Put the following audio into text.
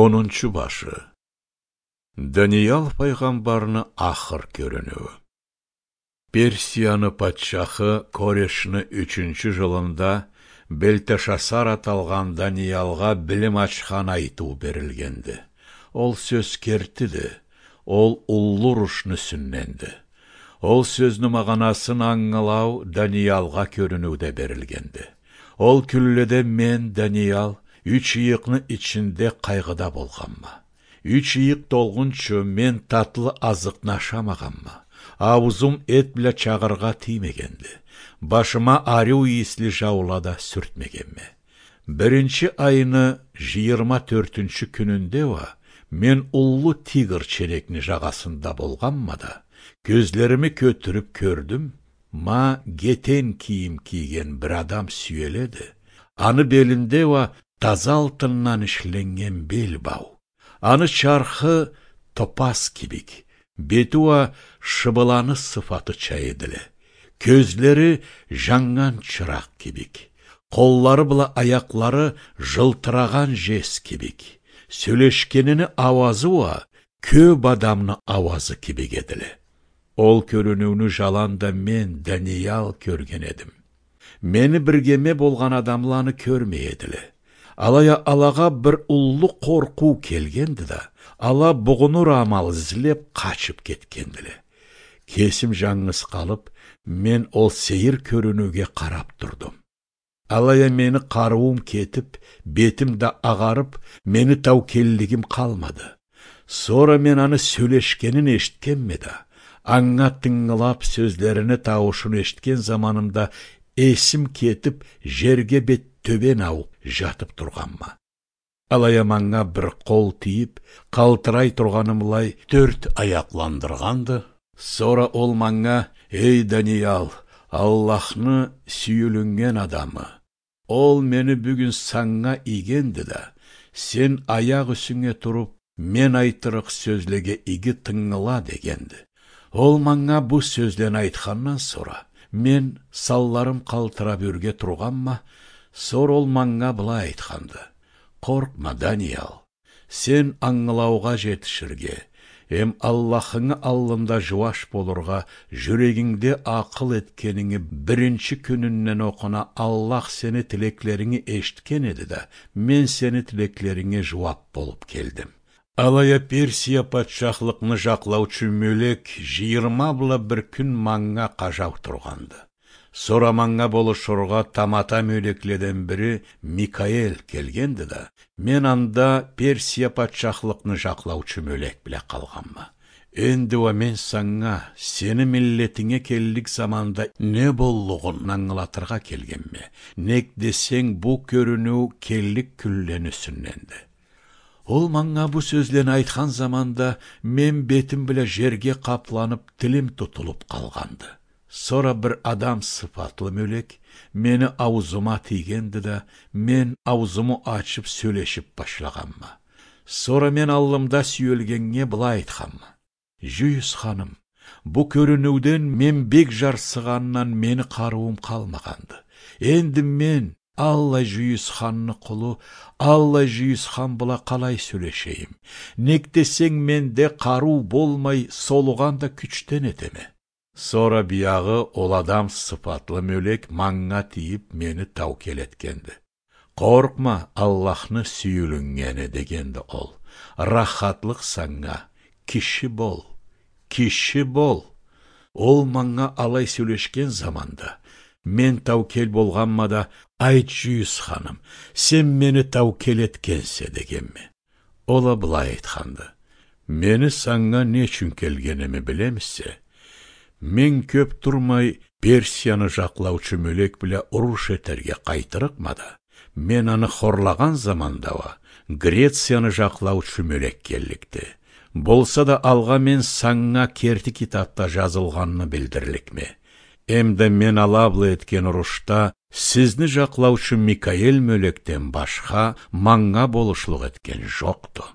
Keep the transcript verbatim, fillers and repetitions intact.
онунчу башы. Даниял пайгамбарны ахыр көрүнүбү. Персияны патшахы Корешны үчүнчү жылында Белтешасар аталган Даниялга билим ачкан айтуу берилгенди. Ол сөз кертиди, ол улуу рушнүсүнненди. Ол сөзнүн маганасын аңылау Даниялга көрүнүүдө берилгенди. Ол күлледе мен, Даниял, үч ыйыкны ичинде кайгыда болгамма. Үч ыйык толгунчу мен татлы азыкны ашамаганма. Аузум эт биле чагырга тиймегенди. Башыма аруу ийисли жаулада сүртмегенме. Биринчи айыны жыйырма төртүнчү күнүндө ва мен улуу тигр черекни жагасында болганма да, көзлөрүмү көтүрүп көрдүм, ма кетен кийим кийген бир адам сүйеледи. Аны белинде ва таза алтыннан ишленген белбау. Аны чархы топаз кибик, бетуа шыбыланы сыфаты чайыдылы. Көзлери жаңган чырак кибик. Коллары була аяклары жылтыраган жес кибик. Сөйлешкенини авазы ва көп адамны авазы кибик эдиле. Ол көрүнүүнү жаланда мен, Даниял, көрген эдим. Мени биргеме болган адамланы көрмей эдиле. Алая алага бир улуу коркуу келгенди да, ала бугунур амал изилеп качып кеткендиле. Кесим жаңгыс калып, мен ол сейир көрүнүүгө карап турдум. Алая мени каруум кетип, бетим да агарып, мени таукеллигим калмады. Сора мен аны сөйлешкенин эшиткенме да, аңа тыңылап сөзлөрүнү табышын эшиткен заманымда эсим кетип, жерге бет төбен ауып жатып турганма. Алая маңга бир кол тийип, калтырай турганымлай төрт аякландырганды. Сора ол маңга: «Эй, Даниял, Аллахны сүйүлүнген адамы, ол мени бүгүн саңга ийгенди да, сен аяк үсүңө туруп, мен айтырык сөзлеге иги тыңыла» дегенди. Ол маңга бу сөзден айткандан сора, мен салларым калтырап үрге турганма, сор ол маңга былай айтканды: «Коркма, Даниял, сен аңылауга жетиширге, эм Аллахыңы алдында жубаш болурга, жүрөгиңде акыл эткениңи биринчи күнүнөн окуна Аллах сени тилеклериңи эшиткен эди да, мен сени тилеклериңе жубап болуп келдим». Алая Персия патшахлыкны жаклаучу мөлек жыйырма була бир күн маңга кажап турганды. Сора маңга болушурга тамата мөлекледен бири Микаэл келгенди да, мен анда Персия патшахлыкны жаклаучу мөлек биле калганма. Энди ва мен саңга сени миллетиңе келдик заманда не боллугун аңылатырга келгенме. Нек десең бу көрүнүү келдик күлленүүсүнненди. Ол маңга бу сөзлен айткан заманда мен бетим биле жерге капланып, тилим тутулуп калганды. Сора бир адам сыфатлы мөлек мени аузума тийгенди да, мен аузуму ачып сөйлешип башлаганма. Сора мен аллымда сүйөлгенге былай айтканма: «Жүйүс ханым, бу көрүнүүдөн мен бек жарсыганнан мени каруум калмаганды. Энди мен Алла Жүйүс ханны кулу, Алла Жүйүс хан була калай сүйлөшейим. Нек десең менде каруу болмай, солуганда күчтен этеме». Сора биягы ол адам сыфатлы мөлек маңга тийип мени таукел эткенди. «Коркма, Аллахны сүйүлүнгени» дегенди ол. «Рахатлык саңга, киши бол, киши бол». Ол маңга алай сүйлөшкен заманда мен таукел болганма да: «Айт, Жүйүс ханым, сен мени таукел эткенсе» дегенми. Ола былай айтканды: «Мени саңга не үчүн келгеними билемизсе? Мен көп турмай Персияны жаклаучу мөлек биле уруш этерге кайтырыкма да, мен аны хорлаган заманда ва Грецияны жаклаучу мөлек келдикти. Болса да алга мен саңга керти китапта жазылганны билдирликме. Эмде мен алаблы эткен урушта сизни жаклаучу Микаэл мөлектен башка маңга болушлук эткен жокту».